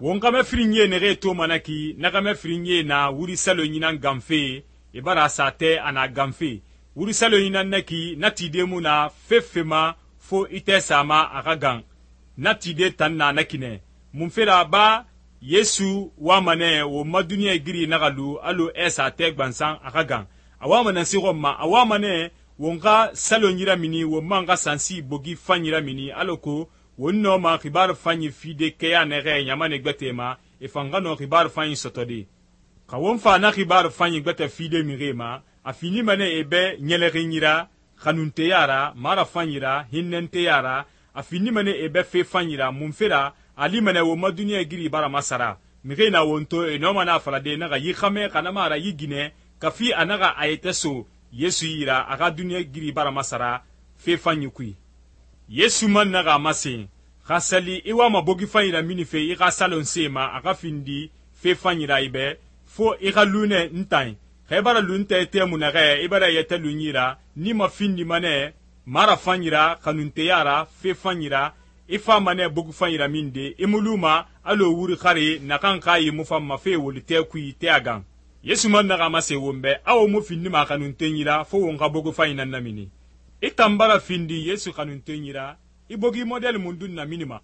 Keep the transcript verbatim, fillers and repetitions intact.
Won xame firinye nege to manaki na xame firinye na wuri salonyi nan ganfe e bara sate ana ganfe wuri salonyi nan naki na tide mu na fefema fo ite sama aga gan na tide tan na nakine mun fera ba Yesu wa mane wo maduniya giri nagalu alo esa te gbansan aga gan awa manan si gomma awa mane wonga salonyi ramini wo manga sansi bogi fanyi ramini aloko wonno ma khibar fanyi fide keya nege nyamane gbetema e fangano khibar fanyi sotode ka won fa na khibar fanyi gbete fide mirema afini mane ebe nyeleginyira khanunte yara mara fanyira hinnente yara afini mane ebe fe fanyira munfera ali mane wo maduniya giri bara masara mige na wonto e no mana falade naga yi khame kana mara yigine kafi anaga ayete so Yesu yira aga duniya giri bara masara fe fanyi kui Yesu man naga masin khasali iwa mabogi fanyira minife iga salon sema aga findi fe fanyira ibe fo iga lune ntain khebara lunte temu nage ibara yete lunyira ni ma findi mane mara fanyira kanunte yara fe fanyira ifa mane bogu fanyira minde imuluma alo wuri khari nakan kayi mufamma fe wolite kui te agan Yesu man naga mase wombe awo mu findi ma kanunte nyira fo wonga bogu fanyina namini itambara findi Yesu kanunte nyira ibogi model mundun na minima